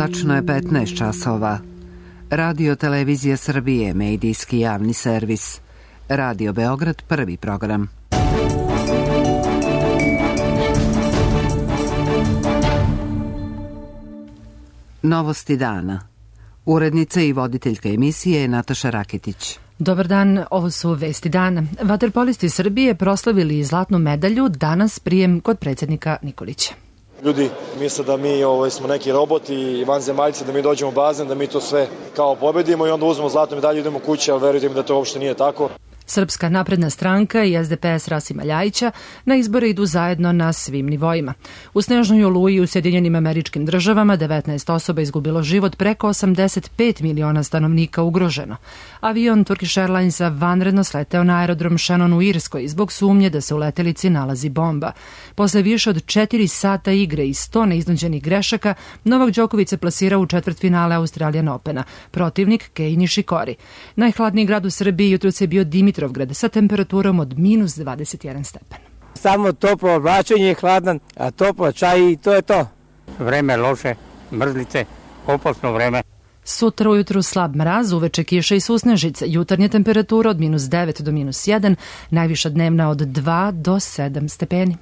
Tačno je 15 časova. Radio Televizija Srbije, medijski javni servis. Radio Beograd, prvi program. Novosti dana. Urednica i voditeljka emisije je Nataša Raketić. Dobar dan, ovo su vesti dana. Vaterpolisti Srbije proslavili zlatnu medalju, danas prijem kod predsjednika Nikolića. Ljudi misle da mi smo neki roboti i vanzemaljci, da mi dođemo u bazen, da mi to sve kao pobedimo i onda uzmemo zlatnu medalju i idemo kući, ali verujte mi da to uopšte nije tako. Srpska napredna stranka i SDS Rasima Ljajića na izbore idu zajedno na svim nivoima. U snežnoj oluji u Sjedinjenim Američkim Državama 19 osoba izgubilo život, preko 85 miliona stanovnika ugroženo. Avion Turkish Airlinesa vanredno sleteo na aerodrom Shannon u Irskoj zbog sumnje da se u letelici nalazi bomba. Posle više od 4 sata igre i 100 neiznuđenih grešaka, Novak Đoković se plasirao u četvrtfinale Australian Opena. Protivnik Kei Nishikori. Najhladniji grad u Srbiji jutros je bio Dimitrovgrad sa temperaturom od minus 21 stepen. Samo toplo oblačenje je hladan, a toplo čaj i to je to. Vreme loše, mrzlice, opasno vreme. Sutra ujutru slab mraz, uveče kiša i susnežice, jutarnja temperatura od minus 9 do minus 1, najviša dnevna od 2 do 7 stepeni.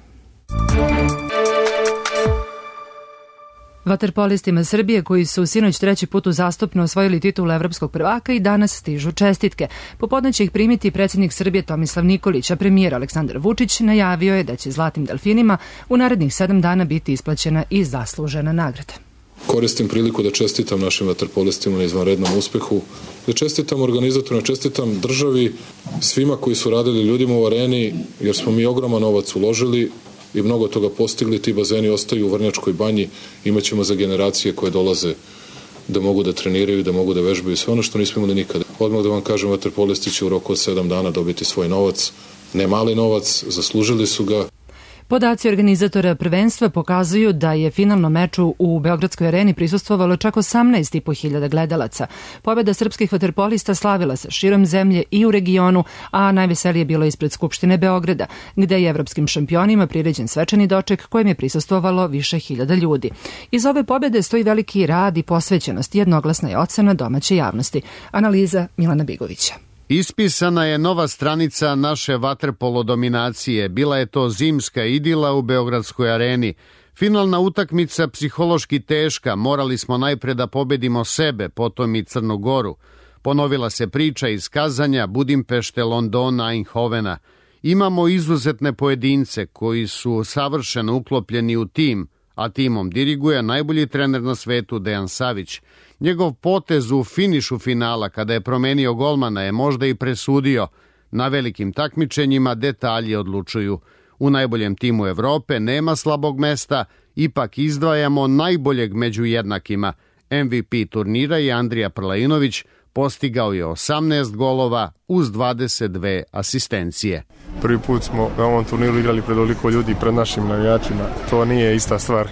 Vaterpolistima Srbije, koji su sinoć treći put uzastopno osvojili titulu evropskog prvaka, i danas stižu čestitke. Popodne će ih primiti predsjednik Srbije Tomislav Nikolić, a premijer Aleksandar Vučić najavio je da će zlatnim delfinima u narednih 7 dana biti isplaćena i zaslužena nagrada. Koristim priliku da čestitam našim vaterpolistima na izvanrednom uspehu, da čestitam organizatorima, čestitam državi, svima koji su radili, ljudima u areni, jer smo mi ogroman novac uložili i mnogo toga postigli. Ti bazeni ostaju u Vrnjačkoj banji, imaćemo za generacije koje dolaze da mogu da treniraju, da mogu da vežbaju, sve ono što nismo imali nikada. Odmah da vam kažem, vaterpolisti će u roku od 7 dana dobiti svoj novac, ne mali novac, zaslužili su ga. Podaci organizatora prvenstva pokazuju da je finalnom meču u Beogradskoj areni prisustvovalo čak 18.500 gledalaca. Pobjeda srpskih vaterpolista slavila se širom zemlje i u regionu, a najveselije bilo ispred Skupštine Beograda, gde je evropskim šampionima priređen svečani doček kojem je prisustvovalo više hiljada ljudi. Iz ove pobjede stoji veliki rad i posvećenost, jednoglasna je ocena domaće javnosti. Analiza Milana Bigovića. Ispisana je nova stranica naše vaterpolo dominacije. Bila je to zimska idila u Beogradskoj areni. Finalna utakmica psihološki teška. Morali smo najpre da pobedimo sebe, potom i Crnu Goru. Ponovila se priča iz Kazanja, Budimpešte, Londona, Eindhovena. Imamo izuzetne pojedince koji su savršeno uklopljeni u tim, a timom diriguje najbolji trener na svetu Dejan Savić. Njegov potez u finišu finala, kada je promenio golmana, je možda i presudio. Na velikim takmičenjima detalji odlučuju. U najboljem timu Evrope nema slabog mesta, ipak izdvajamo najboljeg među jednakima. MVP turnira je Andrija Prlainović, postigao je 18 golova uz 22 asistencije. Prvi put smo na ovom turniru igrali pred ovoliko ljudi, pred našim navijačima. To nije ista stvar.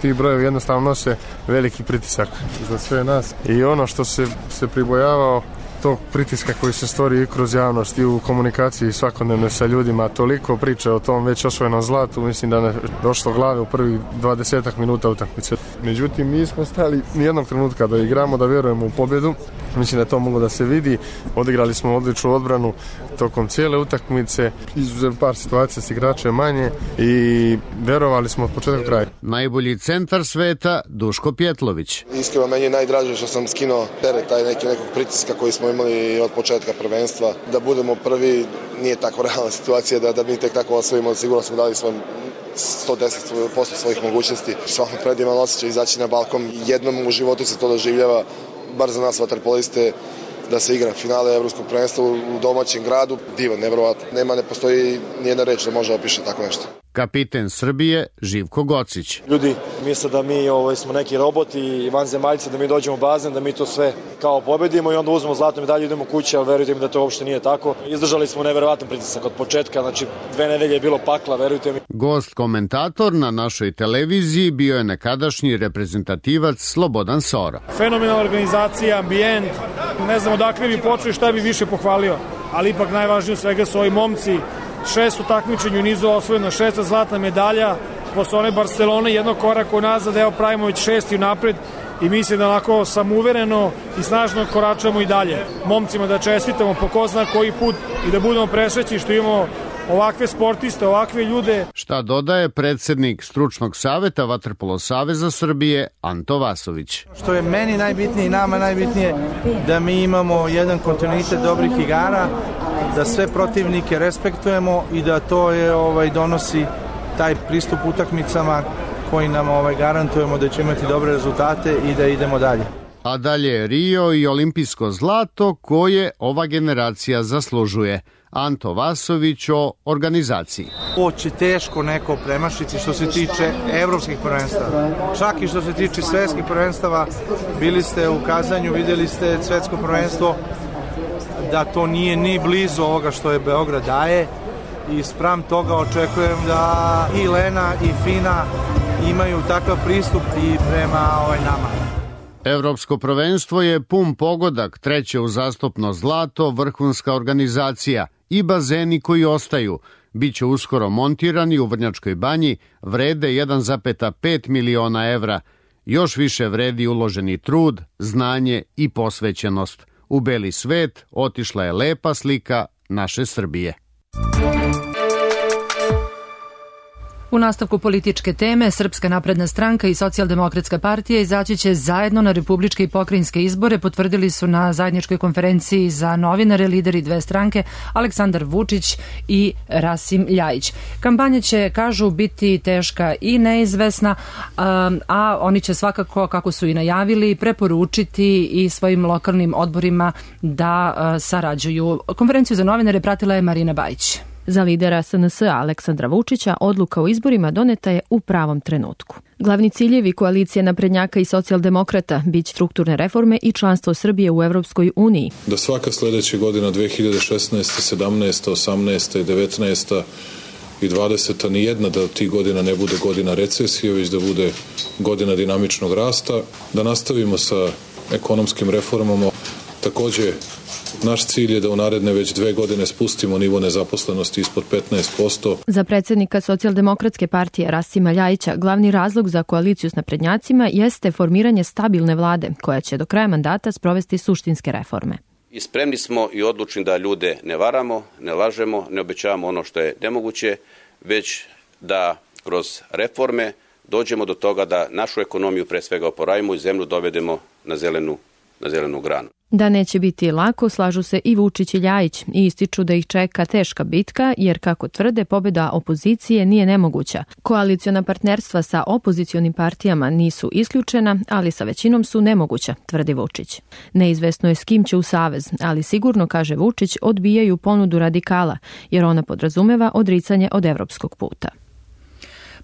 Ti brojevi jednostavno nose veliki pritisak za sve nas. I ono što se pribojavao tog pritiska koji se stvori i kroz javnost i u komunikaciji svakodnevno sa ljudima, toliko priče o tom već osvojenom zlatu, mislim da ne došlo glave u prvih 20 minuta utakmice. Međutim, nismo stali nijednog trenutka da igramo, da vjerujemo u pobjedu. Mislim da to moglo da se vidi. Odigrali smo odličnu odbranu tokom cijele utakmice, izuzev par situacija s igračem manje i vjerovali smo od početka do kraja. Najbolji centar sveta Duško Pjetlović. Iskreno, meni je najdraže što sam skinuo teret taj nekog pritiska koji smo imali od početka prvenstva. Da budemo prvi nije tako realna situacija da mi tek tako osvojimo. Sigurno smo dali svoj 110% svojih mogućnosti. Stvarno predivan osjećaj izaći na balkon. Jednom u životu se to doživljava, bar za nas vaterpoliste, da se igra finale evropskog prvenstva u domaćem gradu. Divan, nevjerovatno. Ne postoji nijedna reč da može opiše tako nešto. Kapiten Srbije Živko Gocić. Ljudi misle da mi smo neki roboti i vanzemaljci, da mi dođemo u bazen, da mi to sve kao pobedimo i onda uzmemo zlatnu medalju i idemo kući, ali verujte mi da to uopšte nije tako. Izdržali smo nevjerovatan pritisak od početka, znači 2 nedelje je bilo pakla, verujte mi. Gost komentator na našoj televiziji bio je nekadašnji reprezentativac Slobodan Soro. Fenomenalna organizacija, ambijent, ne znam odakle bi počeo i šta bi više pohvalio, ali ipak najvažnije od svega su ovi momci. 6 takmičenja u nizu osvojeno, 6 zlatna medalja, posle one Barcelone jednog koraka unazad, evo pravimo već 6 napred i mislim da onako samouvereno i snažno koračamo i dalje. Momcima da čestitamo po ko zna koji put i da budemo presrećni što imamo ovakve sportiste, ovakve ljude. Šta dodaje predsednik Stručnog saveta Vaterpolo saveza Srbije Anto Vasović. Što je meni najbitnije i nama najbitnije da mi imamo jedan kontinuitet dobrih igara, da sve protivnike respektujemo i da to je donosi taj pristup utakmicama koji nam garantujemo da će imati dobre rezultate i da idemo dalje. A dalje Rio i olimpijsko zlato koje ova generacija zaslužuje. Anto Vasović o organizaciji. Ovo će teško neko premašiti što se tiče evropskih prvenstava. Čak i što se tiče svetskih prvenstava, bili ste u Kazanju, videli ste svetsko prvenstvo, da to nije ni blizu ovoga što je Beograd daje i spram toga očekujem da i Lena i Fina imaju takav pristup i prema nama. Evropsko prvenstvo je pun pogodak, treće uzastopno zlato, vrhunska organizacija i bazeni koji ostaju. Biće uskoro montirani u Vrnjačkoj banji, vrede 1,5 miliona evra. Još više vredi uloženi trud, znanje i posvećenost. U beli svet otišla je lepa slika naše Srbije. U nastavku političke teme, Srpska napredna stranka i Socijaldemokratska partija izaći će zajedno na republičke i pokrajinske izbore, potvrdili su na zajedničkoj konferenciji za novinare lideri dve stranke Aleksandar Vučić i Rasim Ljajić. Kampanja će, kažu, biti teška i neizvesna, a oni će svakako, kako su i najavili, preporučiti i svojim lokalnim odborima da sarađuju. Konferenciju za novinare pratila je Marina Bajić. Za lidera SNS Aleksandra Vučića odluka o izborima doneta je u pravom trenutku. Glavni ciljevi koalicije naprednjaka i socijaldemokrata biće strukturne reforme i članstvo Srbije u Evropskoj uniji. Da svaka sledeća godina 2016, 17, 18 i 19 i 20 nijedna da tih godina ne bude godina recesije, već da bude godina dinamičnog rasta, da nastavimo sa ekonomskim reformama. Takođe, naš cilj je da u naredne već 2 godine spustimo nivo nezaposlenosti ispod 15%. Za predsjednika Socijaldemokratske partije Rasima Ljajića glavni razlog za koaliciju s naprednjacima jeste formiranje stabilne vlade koja će do kraja mandata sprovesti suštinske reforme. I spremni smo i odlučni da ljude ne varamo, ne lažemo, ne obećavamo ono što je nemoguće, već da kroz reforme dođemo do toga da našu ekonomiju pre svega oporavimo i zemlju dovedemo na zelenu granu. Da neće biti lako, slažu se i Vučić i Ljajić i ističu da ih čeka teška bitka, jer kako tvrde, pobjeda opozicije nije nemoguća. Koaliciona partnerstva sa opozicionim partijama nisu isključena, ali sa većinom su nemoguća, tvrdi Vučić. Neizvesno je s kim će u savez, ali sigurno, kaže Vučić, odbijaju ponudu radikala, jer ona podrazumeva odricanje od evropskog puta.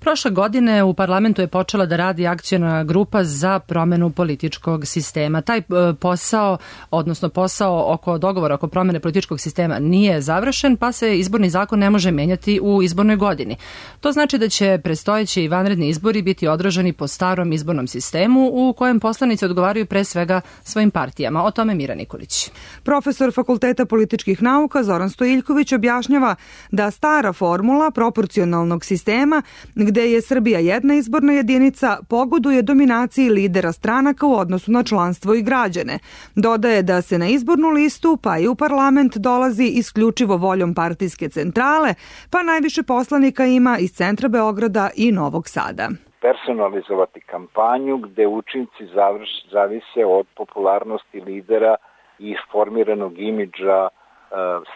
Prošle godine u parlamentu je počela da radi akciona grupa za promenu političkog sistema. Taj posao, odnosno posao oko dogovora oko promene političkog sistema nije završen, pa se izborni zakon ne može menjati u izbornoj godini. To znači da će predstojeći i vanredni izbori biti odraženi po starom izbornom sistemu u kojem poslanici odgovaraju pre svega svojim partijama. O tome Mira Nikolić. Profesor Fakulteta političkih nauka Zoran Stojiljković objašnjava da stara formula proporcionalnog sistema gde je Srbija jedna izborna jedinica, pogoduje dominaciji lidera stranaka u odnosu na članstvo i građane. Dodaje da se na izbornu listu pa i u parlament dolazi isključivo voljom partijske centrale, pa najviše poslanika ima iz centra Beograda i Novog Sada. Personalizovati kampanju gde učinci zavise od popularnosti lidera i formiranog imidža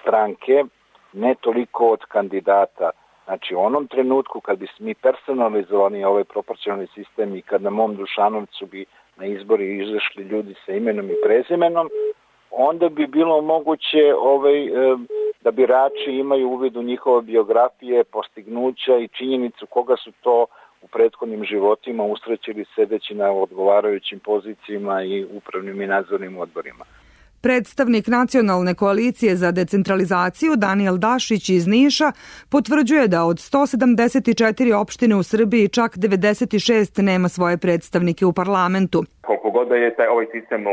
stranke, ne toliko od kandidata. Znači, u onom trenutku kad bi mi personalizovali ovaj proporcionalni sistem i kad na mom Dušanovcu bi na izbori izašli ljudi sa imenom i prezimenom, onda bi bilo moguće da birači imaju uvid u njihove biografije, postignuća i činjenicu koga su to u prethodnim životima usrećili sedeći na odgovarajućim pozicijama i upravnim i nadzornim odborima. Predstavnik Nacionalne koalicije za decentralizaciju Daniel Dašić iz Niša potvrđuje da od 174 opštine u Srbiji čak 96 nema svoje predstavnike u parlamentu. Koliko god da je ovaj sistem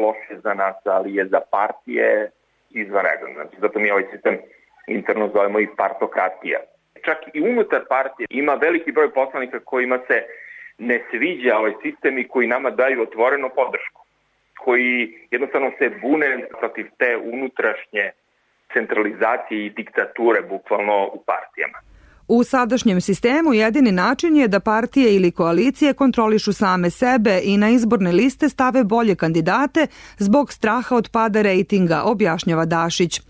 loš je za nas, ali je za partije izvanredan. Znači, zato mi ovaj sistem interno zovemo i partokratija. Čak i unutar partije ima veliki broj poslanika kojima se ne sviđa ovaj sistem i koji nama daju otvoreno podršku, koji jednostavno se bune protiv te unutrašnje centralizacije i diktature bukvalno u partijama. U sadašnjem sistemu jedini način je da partije ili koalicije kontrolišu same sebe i na izborne liste stave bolje kandidate zbog straha od pada rejtinga, objašnjava Dašić.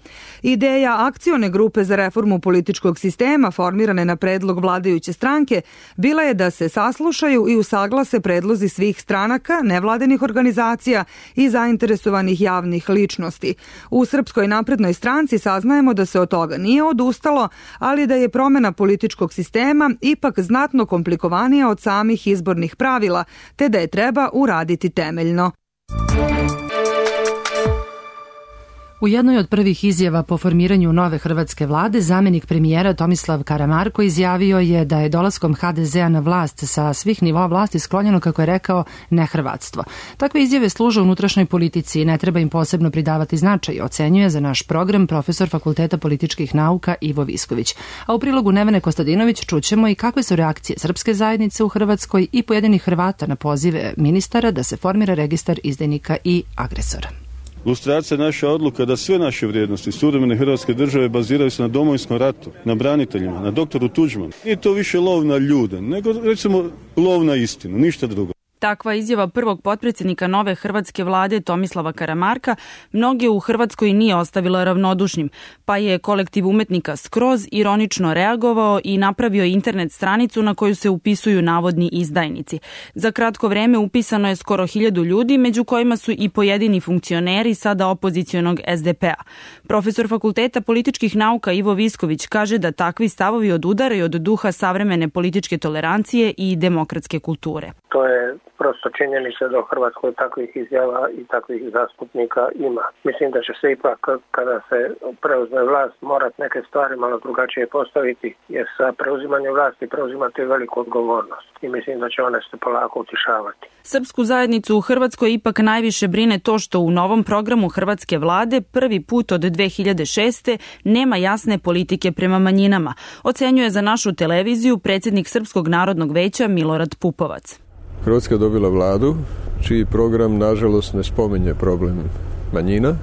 Ideja akcione grupe za reformu političkog sistema formirane na predlog vladajuće stranke bila je da se saslušaju i usaglase predlozi svih stranaka, nevladinih organizacija i zainteresovanih javnih ličnosti. U Srpskoj naprednoj stranci saznajemo da se od toga nije odustalo, ali da je promena političkog sistema ipak znatno komplikovanija od samih izbornih pravila, te da je treba uraditi temeljno. U jednoj od prvih izjava po formiranju nove hrvatske vlade, zamjenik premijera Tomislav Karamarko izjavio je da je dolaskom HDZ-a na vlast sa svih nivoa vlasti sklonjeno, kako je rekao, nehrvatstvo. Takve izjave služe unutrašnjoj politici i ne treba im posebno pridavati značaj, ocenjuje za naš program profesor Fakulteta političkih nauka Ivo Visković. A u prilogu Nevene Kostadinović čućemo i kakve su reakcije srpske zajednice u Hrvatskoj i pojedinih Hrvata na pozive ministara da se formira registar izdajnika i agresora. Lustracija je naša odluka da sve naše vrijednosti suvremene Hrvatske države baziraju se na Domovinskom ratu, na braniteljima, na doktoru Tuđmanu. Nije to više lov na ljude, nego recimo lov na istinu, ništa drugo. Takva izjava prvog potpredsjednika nove hrvatske vlade Tomislava Karamarka mnoge u Hrvatskoj nije ostavila ravnodušnim, pa je kolektiv umetnika skroz ironično reagovao i napravio internet stranicu na koju se upisuju navodni izdajnici. Za kratko vreme upisano je skoro 1000 ljudi, među kojima su i pojedini funkcioneri sada opozicionog SDP-a. Profesor Fakulteta političkih nauka Ivo Visković kaže da takvi stavovi odudaraju od duha savremene političke tolerancije i demokratske kulture. To je prosto činjenica da u Hrvatskoj takvih izjava i takvih zastupnika ima. Mislim da će se ipak, kada se preuzme vlast, morat neke stvari malo drugačije postaviti, jer sa preuzimanjem vlasti preuzimate veliku odgovornost i mislim da će one se polako utišavati. Srpsku zajednicu u Hrvatskoj ipak najviše brine to što u novom programu hrvatske vlade prvi put od 2006. nema jasne politike prema manjinama, ocenjuje za našu televiziju predsjednik Srpskog narodnog veća Milorad Pupovac. Hrvatska je dobila vladu čiji program nažalost ne spominje problem manjina,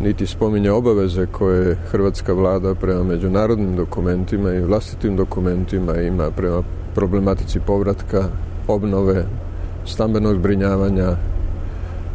niti spominje obaveze koje hrvatska vlada prema međunarodnim dokumentima i vlastitim dokumentima ima prema problematici povratka, obnove, stambenog zbrinjavanja,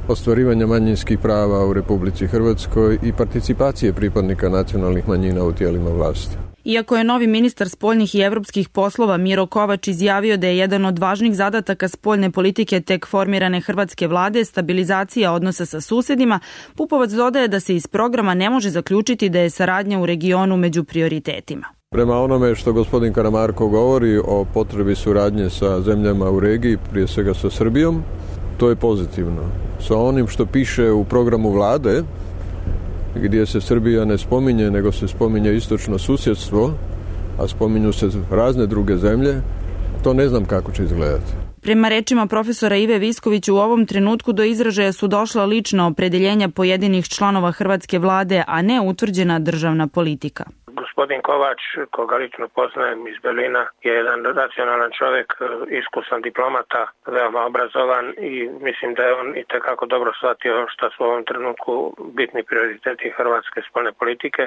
ostvarivanja manjinskih prava u Republici Hrvatskoj i participacije pripadnika nacionalnih manjina u tijelima vlasti. Iako je novi ministar spoljnih i evropskih poslova Miro Kovač izjavio da je jedan od važnih zadataka spoljne politike tek formirane hrvatske vlade stabilizacija odnosa sa susedima, Pupovac dodaje da se iz programa ne može zaključiti da je saradnja u regionu među prioritetima. Prema onome što gospodin Karamarko govori o potrebi suradnje sa zemljama u regiji, prije svega sa Srbijom, to je pozitivno. Sa onim što piše u programu vlade, gdje se Srbija ne spominje, nego se spominje istočno susjedstvo, a spominju se razne druge zemlje, to ne znam kako će izgledati. Prema rečima profesora Ive Viskovića, u ovom trenutku do izražaja su došla lična opredeljenja pojedinih članova hrvatske vlade, a ne utvrđena državna politika. Gospodin Kovač, koga lično poznajem iz Berlina, je jedan racionalan čovjek, iskusan diplomata, veoma obrazovan i mislim da je on itekako dobro shvatio šta su u ovom trenutku bitni prioriteti hrvatske spoljne politike.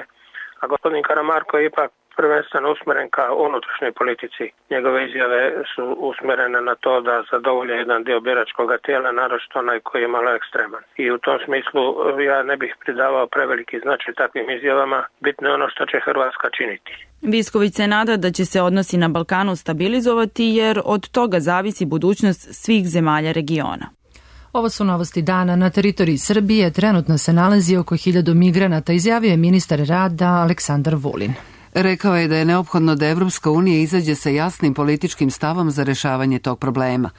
A gospodin Karamarko je ipak prvenstveno usmjeren ka unutrašnjoj politici. Njegove izjave su usmjerene na to da zadovolje jedan dio biračkog tijela, naročito onaj koji je malo ekstreman. I u tom smislu ja ne bih pridavao preveliki značaj takvim izjavama. Bitno je ono što će Hrvatska činiti. Visković se nada da će se odnosi na Balkanu stabilizovati jer od toga zavisi budućnost svih zemalja regiona. Ovo su novosti dana. Na teritoriji Srbije trenutno se nalazi oko 1000 migranata, izjavio je ministar rada Aleksandar Vulin. Rekao je da je neophodno da Evropska unija izađe sa jasnim političkim stavom za rešavanje tog problema.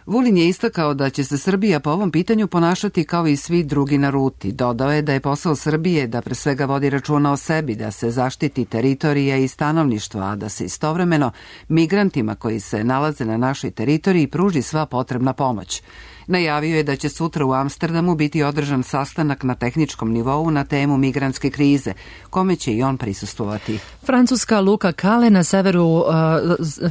Vulin je istakao da će se Srbija po ovom pitanju ponašati kao i svi drugi na ruti. Dodao je da je posao Srbije da pre svega vodi računa o sebi, da se zaštiti teritorija i stanovništva, a da se istovremeno migrantima koji se nalaze na našoj teritoriji pruži sva potrebna pomoć. Najavio je da će sutra u Amsterdamu biti održan sastanak na tehničkom nivou na temu migrantske krize, kome će i on prisustvovati. Francuska luka Calais na severu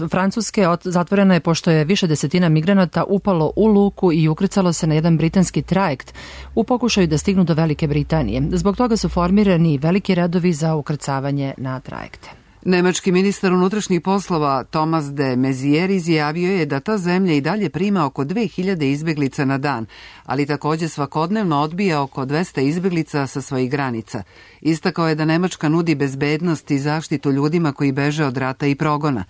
Francuske zatvorena je pošto je više desetina migranata upalo u luku i ukrcalo se na jedan britanski trajekt u pokušaju da stignu do Velike Britanije. Zbog toga su formirani veliki redovi za ukrcavanje na trajekte. Nemački ministar unutrašnjih poslova Thomas de Maizière izjavio je da ta zemlja i dalje prima oko 2000 izbeglica na dan, ali također svakodnevno odbija oko 200 izbeglica sa svojih granica. Istakao je da Nemačka nudi bezbednost i zaštitu ljudima koji beže od rata i progona.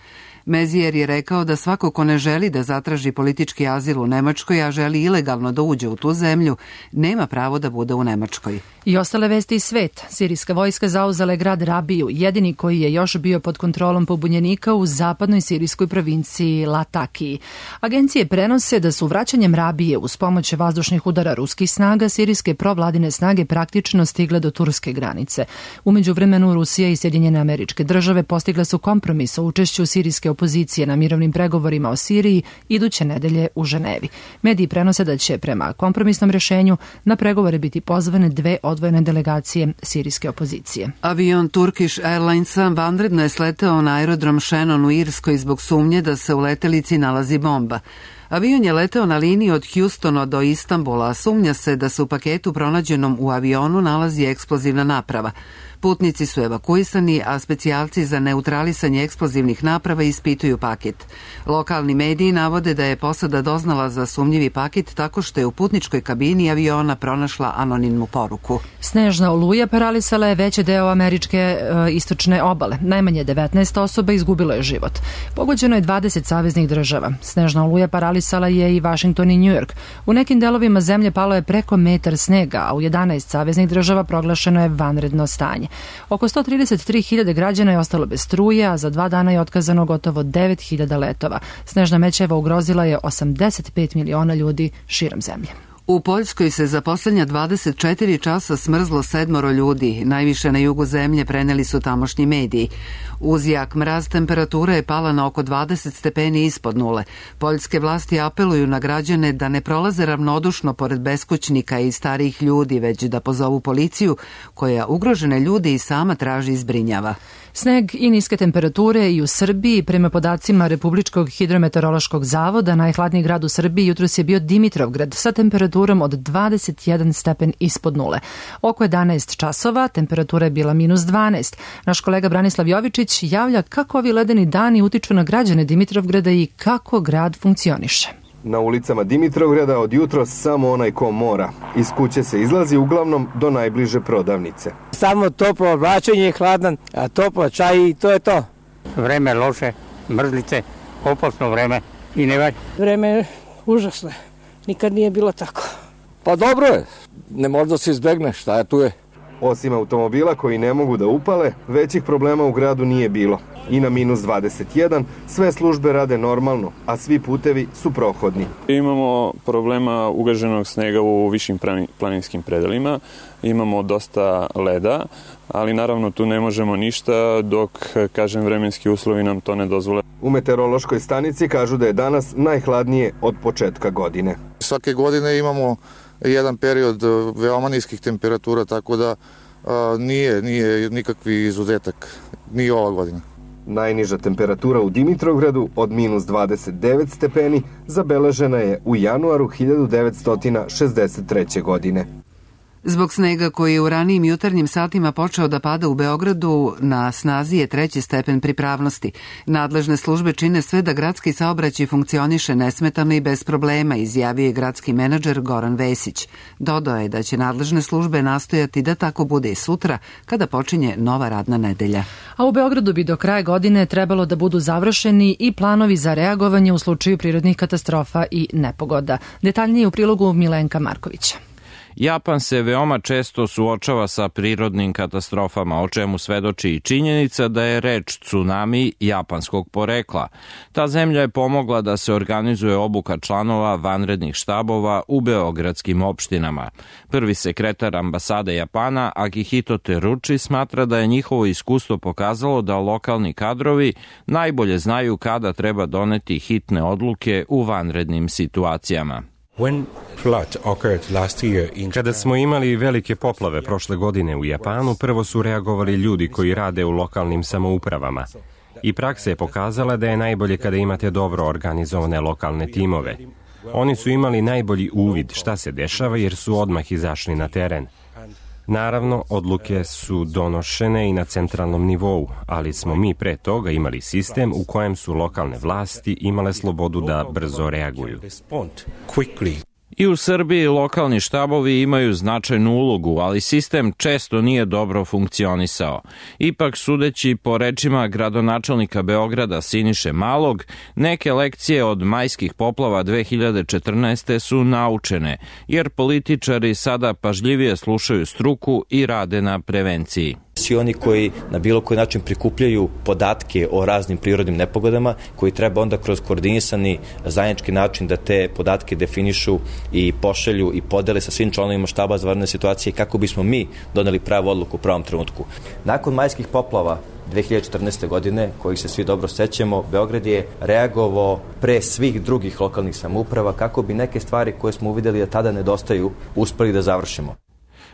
Maizière je rekao da svako ko ne želi da zatraži politički azil u Nemačkoj, a želi ilegalno da uđe u tu zemlju, nema pravo da bude u Nemačkoj. I ostale vesti iz sveta. Sirijska vojska zauzela je grad Rabiju, jedini koji je još bio pod kontrolom pobunjenika u zapadnoj sirijskoj provinciji Latakiji. Agencije prenose da su vraćanjem Rabije uz pomoć vazdušnih udara ruskih snaga sirijske provladine snage praktično stigle do turske granice. U međuvremenu Rusija i Sjedinjene Američke Države postigle su kompromis o učešću sirijske opozicije na mirovnim pregovorima o Siriji iduće nedelje u Ženevi. Mediji prenose da će prema kompromisnom rješenju na pregovore biti pozvane dve odvojene delegacije sirijske opozicije. Avion Turkish Airlinesa vanredno je sleteo na aerodrom Shannon u Irskoj zbog sumnje da se u letelici nalazi bomba. Avion je leteo na liniji od Houstona do Istanbula, a sumnja se da se u paketu pronađenom u avionu nalazi eksplozivna naprava. Putnici su evakuisani, a specijalci za neutralisanje eksplozivnih naprava ispituju paket. Lokalni mediji navode da je posada doznala za sumnjivi paket tako što je u putničkoj kabini aviona pronašla anonimnu poruku. Snežna oluja paralisala je veći deo američke istočne obale. Najmanje 19 osoba izgubilo je život. Pogođeno je 20 saveznih država. Snežna oluja paralisala je i Washington i New York. U nekim delovima zemlje palo je preko metar snega, a u 11 saveznih država proglašeno je vanredno stanje. Oko 133.000 građana je ostalo bez struje, a za 2 dana je otkazano gotovo 9.000 letova. Snežna mećava ugrozila je 85 miliona ljudi širom zemlje. U Poljskoj se za posljednja 24 časa smrzlo 7 ljudi, najviše na jugu zemlje, preneli su tamošnji mediji. Uz jak mraz temperatura je pala na oko 20 stepeni ispod nule. Poljske vlasti apeluju na građane da ne prolaze ravnodušno pored beskućnika i starijih ljudi, već da pozovu policiju koja ugrožene ljude i sama traži i zbrinjava. Sneg i niske temperature i u Srbiji. Prema podacima Republičkog hidrometeorološkog zavoda, najhladniji grad u Srbiji jutros je bio Dimitrovgrad sa temperaturom od 21 stepen ispod nule. Oko 11 časova temperatura je bila -12. Naš kolega Branislav Jovičić javlja kako ovi ledeni dani utiču na građane Dimitrovgrada i kako grad funkcioniše. Na ulicama Dimitrovgrada od jutros samo onaj ko mora. Iz kuće se izlazi uglavnom do najbliže prodavnice. Samo toplo oblačenje je hladan, a toplo čaj i to je to. Vreme loše, mrzlice, opasno vreme i ne valja. Vreme je užasno. Nikad nije bilo tako. Pa dobro je, ne možda se izbegne, šta je tu je. Osim automobila koji ne mogu da upale, većih problema u gradu nije bilo. I na -21 sve službe rade normalno, a svi putevi su prohodni. Imamo problema ugaženog snega u višim planinskim predelima, imamo dosta leda, ali naravno tu ne možemo ništa dok, kažem, vremenski uslovi nam to ne dozvole. U meteorološkoj stanici kažu da je danas najhladnije od početka godine. Svake godine imamo jedan period veoma niskih temperatura, tako da nije nikakvi izuzetak, ni ova godina. Najniža temperatura u Dimitrovgradu od -29 stepeni zabeležena je u januaru 1963. godine. Zbog snega koji je u ranijim jutarnjim satima počeo da pada u Beogradu, na snazi je 3. stepen pripravnosti. Nadležne službe čine sve da gradski saobraćaj funkcioniše nesmetano i bez problema, izjavio je gradski menadžer Goran Vesić. Dodao je da će nadležne službe nastojati da tako bude i sutra, kada počinje nova radna nedelja. A u Beogradu bi do kraja godine trebalo da budu završeni i planovi za reagovanje u slučaju prirodnih katastrofa i nepogoda. Detaljnije u prilogu Milenka Markovića. Japan se veoma često suočava sa prirodnim katastrofama, o čemu svedoči i činjenica da je reč tsunami japanskog porekla. Ta zemlja je pomogla da se organizuje obuka članova vanrednih štabova u beogradskim opštinama. Prvi sekretar ambasade Japana, Akihito Teruči, smatra da je njihovo iskustvo pokazalo da lokalni kadrovi najbolje znaju kada treba doneti hitne odluke u vanrednim situacijama. Kada smo imali velike poplave prošle godine u Japanu, prvo su reagovali ljudi koji rade u lokalnim samoupravama. I praksa je pokazala da je najbolje kada imate dobro organizovane lokalne timove. Oni su imali najbolji uvid šta se dešava jer su odmah izašli na teren. Naravno, odluke su donošene i na centralnom nivou, ali smo mi pre toga imali sistem u kojem su lokalne vlasti imale slobodu da brzo reaguju. I u Srbiji lokalni štabovi imaju značajnu ulogu, ali sistem često nije dobro funkcionisao. Ipak, sudeći po rečima gradonačelnika Beograda Siniše Malog, neke lekcije od majskih poplava 2014. su naučene, jer političari sada pažljivije slušaju struku i rade na prevenciji. Svi oni koji na bilo koji način prikupljaju podatke o raznim prirodnim nepogodama, koji treba onda kroz koordinisani zajednički način da te podatke definišu i pošalju i podele sa svim članovima štaba za vanredne situacije kako bismo mi doneli pravu odluku u pravom trenutku. Nakon majskih poplava 2014. godine, kojih se svi dobro sećamo, Beograd je reagovao pre svih drugih lokalnih samouprava kako bi neke stvari koje smo uvideli da tada nedostaju uspeli da završimo.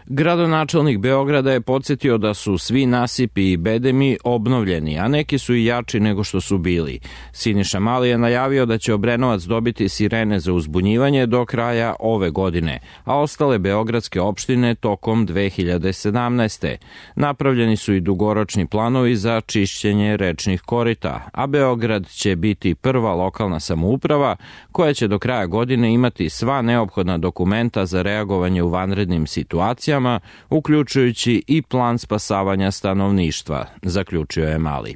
Gradonačelnik Beograda je podsjetio da su svi nasipi i bedemi obnovljeni, a neki su i jači nego što su bili. Siniša Mali je najavio da će Obrenovac dobiti sirene za uzbunjivanje do kraja ove godine, a ostale beogradske opštine tokom 2017. Napravljeni su i dugoročni planovi za čišćenje rečnih korita, a Beograd će biti prva lokalna samouprava koja će do kraja godine imati sva neophodna dokumenta za reagovanje u vanrednim situacijama, uključujući i plan spasavanja stanovništva, zaključio je Mali.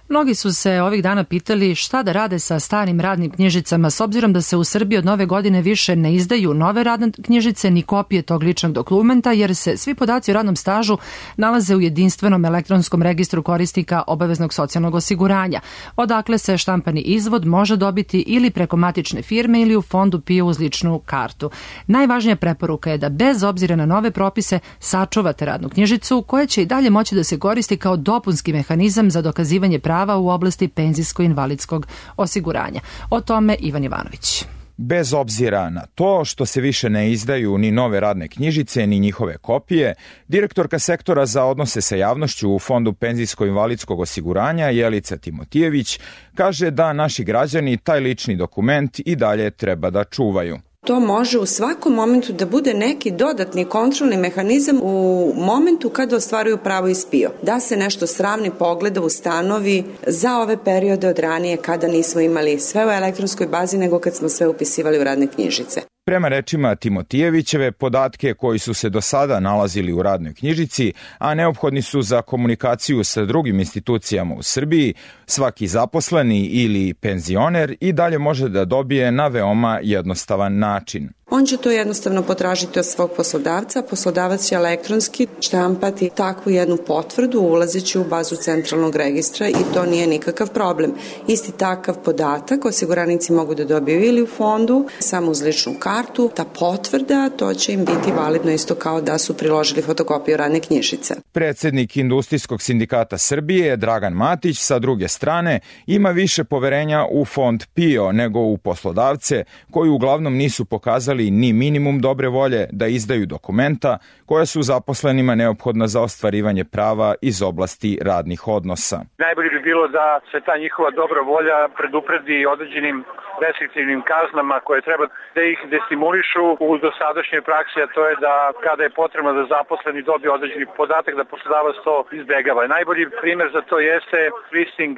Mnogi su se ovih dana pitali šta da rade sa starim radnim knjižicama, s obzirom da se u Srbiji od nove godine više ne izdaju nove radne knjižice ni kopije tog ličnog dokumenta, jer se svi podaci o radnom stažu nalaze u jedinstvenom elektronskom registru korisnika obaveznog socijalnog osiguranja, odakle se štampani izvod može dobiti ili preko matične firme ili u fondu PIO uz ličnu kartu. Najvažnija preporuka je da bez obzira na nove propise sačuvate radnu knjižicu koja će i dalje moći da se koristi kao dopunski mehanizam za dokazivanje prava u oblasti penzijsko-invalidskog osiguranja. O tome Ivan Ivanović. Bez obzira na to što se više ne izdaju ni nove radne knjižice ni njihove kopije, direktorka sektora za odnose sa javnošću u Fondu penzijsko-invalidskog osiguranja Jelica Timotijević kaže da naši građani taj lični dokument i dalje treba da čuvaju. To može u svakom momentu da bude neki dodatni kontrolni mehanizam u momentu kada ostvaruju pravo iz PIO. Da se nešto sravni, pogleda, ustanovi za ove periode od ranije kada nismo imali sve u elektronskoj bazi nego kad smo sve upisivali u radne knjižice. Prema rečima Timotijevićeve, podatke koji su se do sada nalazili u radnoj knjižici, a neophodni su za komunikaciju sa drugim institucijama u Srbiji, svaki zaposleni ili penzioner i dalje može da dobije na veoma jednostavan način. On će to jednostavno potražiti od svog poslodavca, poslodavac će elektronski štampati takvu jednu potvrdu ulazeći u bazu centralnog registra i to nije nikakav problem. Isti takav podatak osiguranici mogu da dobiju ili u fondu, samo uz ličnu kartu, ta potvrda, to će im biti validno isto kao da su priložili fotokopiju radne knjižice. Predsednik Industrijskog sindikata Srbije, Dragan Matić, sa druge strane, ima više poverenja u fond PIO nego u poslodavce, koji uglavnom nisu pokazali ni minimum dobre volje da izdaju dokumenta koja su zaposlenima neophodna za ostvarivanje prava iz oblasti radnih odnosa. Najbolje bi bilo da se ta njihova dobra volja predupredi određenim restriktivnim kaznama koje treba da ih destimulišu u dosadašnjoj praksi, a to je da kada je potrebno da zaposleni dobije određeni podatak da poslodavac to izbegava. Najbolji primer za to jeste listing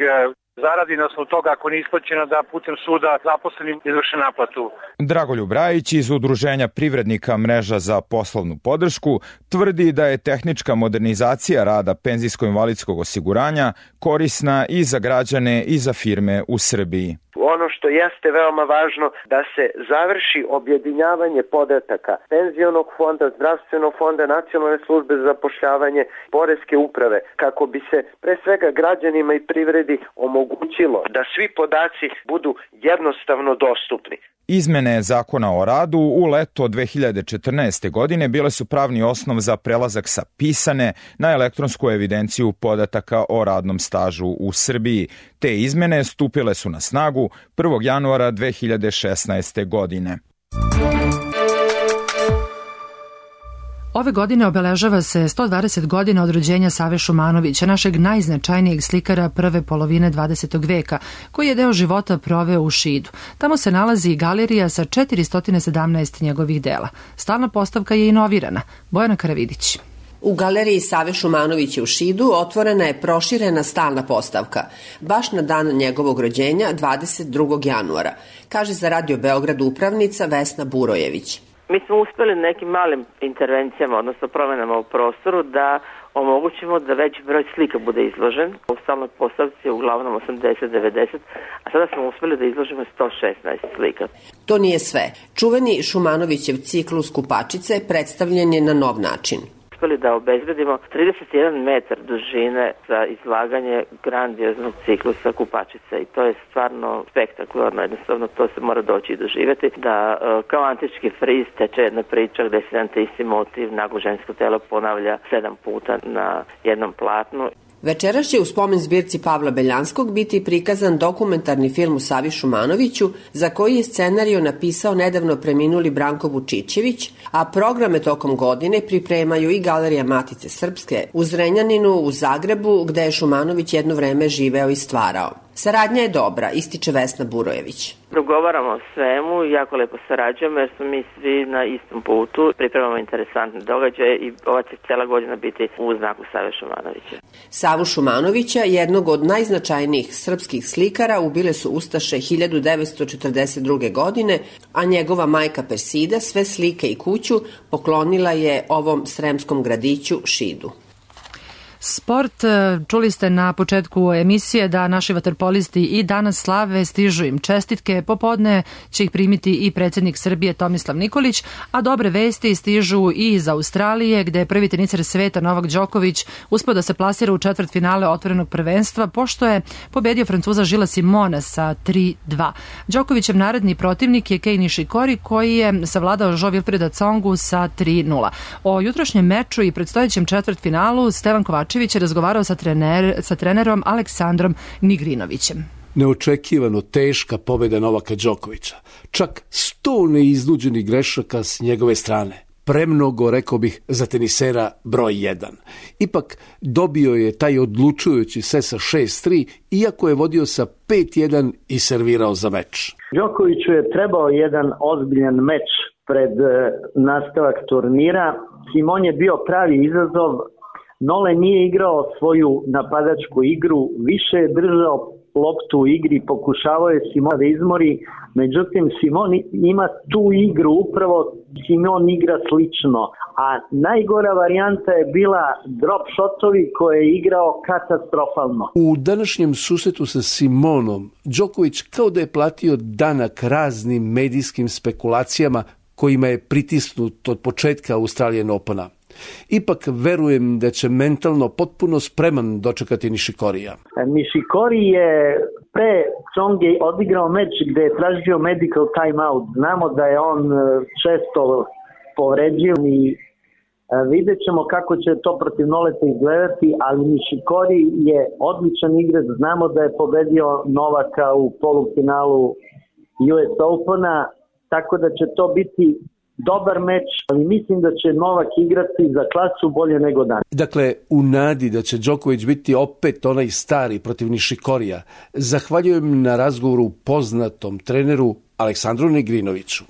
zaradi na osnovu toga ako nije isplaćena da putem suda zaposlenim izvrše naplatu. Dragoljub Rajić iz Udruženja privrednika Mreža za poslovnu podršku tvrdi da je tehnička modernizacija rada penzijsko-invalidskog osiguranja korisna i za građane i za firme u Srbiji. Ono što jeste veoma važno da se završi objedinjavanje podataka penzionog fonda, zdravstvenog fonda, nacionalne službe za zapošljavanje, poreske uprave, kako bi se pre svega građanima i privredi omogućilo da svi podaci budu jednostavno dostupni. Izmene Zakona o radu u leto 2014. godine bile su pravni osnov za prelazak sa pisane na elektronsku evidenciju podataka o radnom stažu u Srbiji. Te izmene stupile su na snagu 1. januara 2016. godine. Ove godine obeležava se 120 godina od rođenja Save Šumanovića, našeg najznačajnijeg slikara prve polovine 20. veka, koji je deo života proveo u Šidu. Tamo se nalazi i galerija sa 417 njegovih dela. Stalna postavka je inovirana. Bojana Karavidić. U galeriji Save Šumanovića u Šidu otvorena je proširena stalna postavka, baš na dan njegovog rođenja 22. januara, kaže za Radio Beograd upravnica Vesna Burojević. Mi smo uspeli nekim malim intervencijama, odnosno promenama u prostoru, da omogućimo da veći broj slika bude izložen. U stalnoj postavci je uglavnom 80-90, a sada smo uspeli da izložimo 116 slika. To nije sve. Čuveni Šumanovićev ciklus Kupačice predstavljen je na nov način. Uspeli da obezbedimo 31 metar dužine za izlaganje grandioznog ciklusa Kupačice i to je stvarno spektakularno, jednostavno to se mora doći i doživjeti, da kao antički friz teče jedna priča gde se jedan te isti motiv, naglo žensko telo ponavlja 7 puta na jednom platnu. Večeras će u spomen zbirci Pavla Beljanskog biti prikazan dokumentarni film o Savi Šumanoviću, za koji je scenariju napisao nedavno preminuli Branko Vučićević, a programe tokom godine pripremaju i Galerija Matice Srpske u Zrenjaninu, u Zagrebu, gde je Šumanović jedno vreme živeo i stvarao. Saradnja je dobra, ističe Vesna Burojević. Progovaramo o svemu, jako lepo sarađujemo jer smo mi svi na istom putu, pripremamo interesantne događaje i ova će cela godina biti u znaku Save Šumanovića. Savu Šumanovića, jednog od najznačajnijih srpskih slikara, ubile su ustaše 1942. godine, a njegova majka Persida sve slike i kuću poklonila je ovom sremskom gradiću Šidu. Sport, čuli ste na početku emisije da naši vaterpolisti i danas slave, stižu im čestitke, popodne će ih primiti i predsjednik Srbije Tomislav Nikolić, a dobre vesti stižu i iz Australije, gde je prvi teniser sveta Novak Đoković uspeo da se plasira u četvrtfinale otvorenog prvenstva, pošto je pobedio Francuza Žila Simona sa 3-2. Đokovićev naredni protivnik je Kei Nishikori, koji je savladao Jo Wilfreda Tsongu sa 3-0. O jutrošnjem meču i predstojećem četvrtfinalu Stevan Kovačević je razgovarao sa trenerom Aleksandrom Nigrinovićem. Neočekivano teška pobjeda Novaka Đokovića. Čak 100 neiznuđenih grešaka s njegove strane. Premnogo, rekao bih, za tenisera broj 1. Ipak dobio je taj odlučujući set sa 6-3, iako je vodio sa 5-1 i servirao za meč. Đokoviću je trebao jedan ozbiljan meč pred nastavak turnira. Simon je bio pravi izazov. Nole nije igrao svoju napadačku igru, više je držao loptu u igri, pokušavao je Simon da izmori, međutim Simon ima tu igru, upravo Simon igra slično, a najgora varijanta je bila drop shotovi koje je igrao katastrofalno. U današnjem susretu sa Simonom, Đoković kao da je platio danak raznim medijskim spekulacijama kojima je pritisnut od početka Australian Opena. Ipak verujem da će mentalno potpuno spreman dočekati Nishikorija. Nishikori je pre Tsonge odigrao meč gde je tražio medical timeout. Znamo da je on često povređen i vidjet ćemo kako će to protiv Noleta izgledati, ali Nishikori je odličan igrač. Znamo da je pobedio Novaka u polufinalu US Opena, tako da će to biti dobar meč, ali mislim da će Novak igrati za klasu bolje nego dan. Dakle, u nadi da će Đoković biti opet onaj stari protiv Nishikorija, zahvaljujem na razgovoru poznatom treneru Aleksandru Nigrinoviću.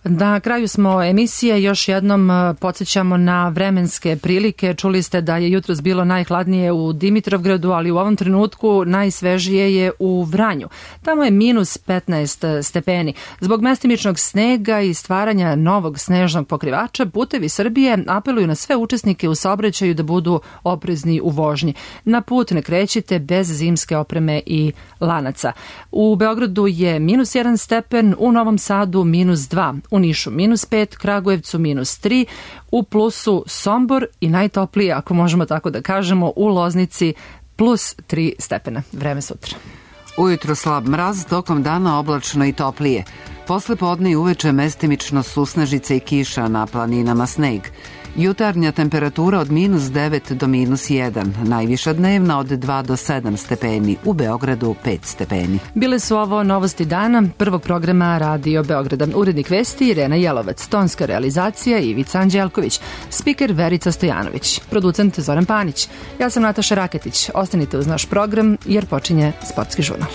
Na kraju smo emisije, još jednom podsjećamo na vremenske prilike. Čuli ste da je jutros bilo najhladnije u Dimitrovgradu, ali u ovom trenutku najsvežije je u Vranju. Tamo je minus 15 stepeni. Zbog mestimičnog snega i stvaranja novog snežnog pokrivača, Putevi Srbije apeluju na sve učesnike u saobraćaju da budu oprezni u vožnji. Na put ne krećite bez zimske opreme i lanaca. U Beogradu je minus 1 stepen, u Novom Sadu minus 2, u Nišu minus 5, Kragujevcu minus 3, u plusu Sombor i najtoplije, ako možemo tako da kažemo, u Loznici plus 3 stepena. Vreme sutra. Ujutro slab mraz, tokom dana oblačno i toplije. Posle podne i uveče mestimično susnežice i kiša, na planinama sneg. Jutarnja temperatura od -9 do -1, najviša dnevna od 2 do 7 stepeni, u Beogradu 5 stepeni. Bile su ovo novosti dana prvog programa Radio Beograda. Urednik vesti Irena Jelovac, tonska realizacija Ivica Anđelković, spiker Verica Stojanović, producent Zoran Panić. Ja sam Nataša Raketić. Ostanite uz naš program jer počinje Sportski žurnal.